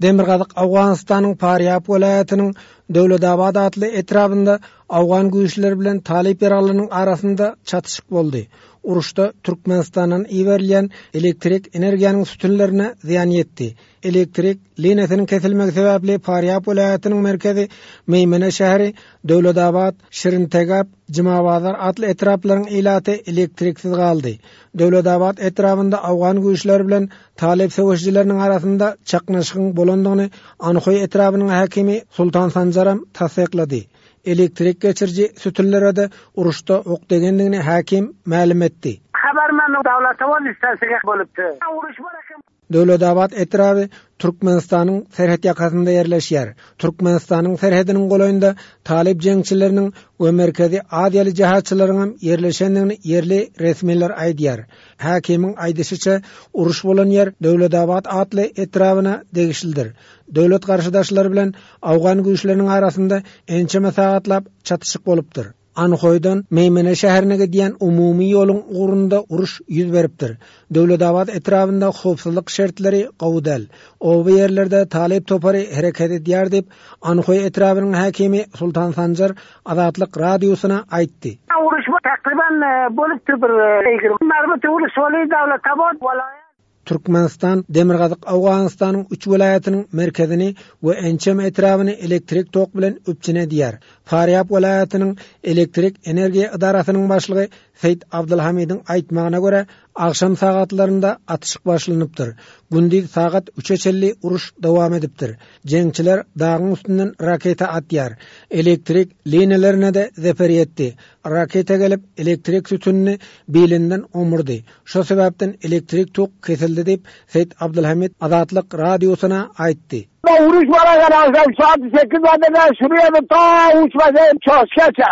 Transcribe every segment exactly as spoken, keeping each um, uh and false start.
Demirgazyk Owganystanyň Farýab welaýatynyň Döwletabat atly etrabynda owgan güýçleri bilen talyp ýaraglarynyň arasynda çatyşyk boldy. Uruşda Türkmenistandan iberilýän elektrik energiýanyň sütünlerine zyýan ýetdi. Elektrik liniýasynyň kesilmegi sebäpli Farýab welaýatynyň merkezi Meýmene şäheri, Döwletabat, Şirintegap, Jumabazar atly etraplaryň ilaty elektriksiz galdy. Döwletabat etrabynda owgan güýçleri bilen talyp söweşijileriniň arasynda çaknyşygyň bolandygyny Anhoý etrabynyň häkimi Sultan Sanjaram tassyklady. Elektrik geçiriji sütünlere-de uruşda ok degendigini häkim mälim etdi. Habarman Döwletabat istansiýasy bolupdy. Uruş bar eken. Döwletabat etraby Türkmenistanyň serhet ýakasynda ýerleşýär. Türkmenistanyň serhediniň golaýynda talyp jeňçileriniň we Merkezi Aziýaly jihatçylaryň hem ýerleşendigini ýerli resmiler aýdýar. Häkimiň aýdyşyça, uruş bolan ýer Döwletabat atly etrabyna degişlidir. Döwlet garşydaşlary bilen owgan güýçleriniň arasynda ençeme sagatlap çatyşyk bolupdyr. Anhoýdan Meýmene şäherine gidýän umumy ýoluň ugrunda uruş ýüz beripdir. Döwletabat etrabynda howpsuzlyk şertleri gowy däl. Oba ýerlerde talyp topary hereket edýär diýip, Anhoý etrabynyň häkimi Sultan Sanjar Azatlyk radiosyna aýtdy. Uruş takriban bolupdyr bir ýigrimi mermi uruş boldy Döwletabat welaýat. Türkmenistan Demirgazyk Owganystanyň üç welaýatynyň merkezini we ençeme etrabyny elektrik tok bilen üpjün edýär. Farýab welaýatynyň elektrik energiýa edarasynyň başlygy Seýit Abdulhamidiň aýtmagyna görä, agşam sagatlarynda atyşyk başlanypdyr. Gündiz sagat üçe çenli uruş dowam edipdir. Jeňçiler dagyň üstünden raketa atýar. Elektrik liniýalarına-da zeper ýetdi. Raketa gelip elektrik sütünini bilinden omurdy. Şo sebäpden elektrik tok kesildi diýip Seýit Abdulhamid Azatlyk radiosyna aýtdy. Uruş bar eken akşam saat sekiz badada şuraya da ta uç başı çoşkaça.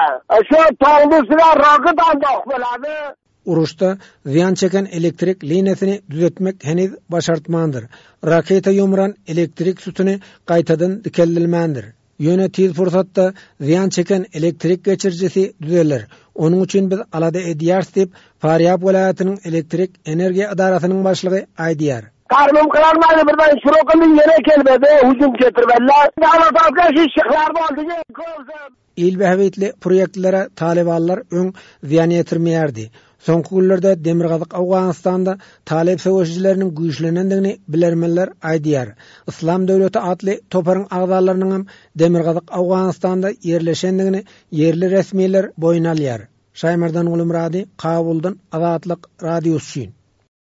Şu togly üstüne raket aldy bolady. Uruşda zyýan çeken elektrik liniýasyny düzetmek heniz başartmandyr. Raketa ýumran elektrik sütüni gaýtadan dikeldilmändir. Ýöne tiz pursatda zyýan çeken elektrik geçirijisi düzeler. Onuň üçin biz alada edýäris diýip Farýab welaýatynyň elektrik energiýa edarasynyň başlygy aýdýar. Karnım kırarmaydı birden şurokunu yere kelmedi, hücum getirmediler. Dağla şu şıklar boldy. Il bähbitli proýektlere talybanlar öň zyýan ýetirmeýärdi. Soňky günlerde Demirgazyk Owganystanda talyp söweşijileriniň güýçlenendigini bilermenler aýdýar. Islam döwleti atly toparyň agzalarynyň hem Demirgazyk Owganystanda ýerleşendigini ýerli resmiler boýun alýar. Şaýmerdan Gulumrady, Kabuldan Azatlyk radiosy üçin.